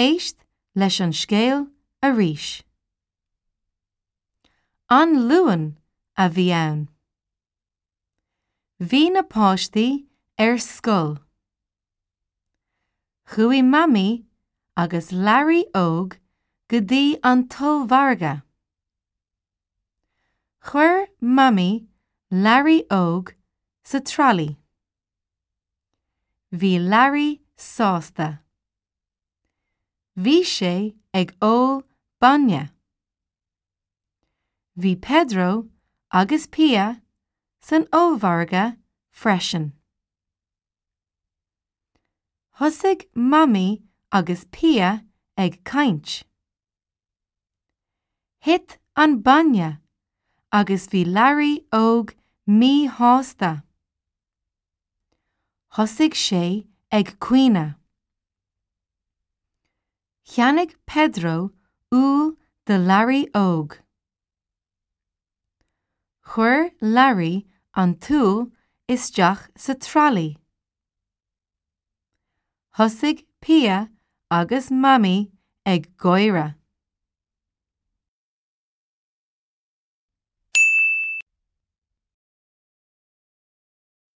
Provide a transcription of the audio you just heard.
Éist leis an scéal arís. An Luan a bhí ann. Bhí na páistí ar scoil. Chuaigh Mamaí agus Learaí Óg go dtí an t-ollmhargadh. Chuir Mamaí Learaí Óg sa tralaí. Bhí Learaí sásta. Bhí sé ag ól bainne. Bhí Pedro agus Pia san ollmhargadh freisin. Thosaigh Mamaí agus Pia ag caint. Thit an bainne agus bhí Learaí Óg míshásta. Thosaigh sé ag caoineadh. Cheannaigh Pedro úll do Learaí Óg. Chuir Learaí an t-úll isteach sa tralaí. Thosaigh Pia agus Mamaí ag gáire.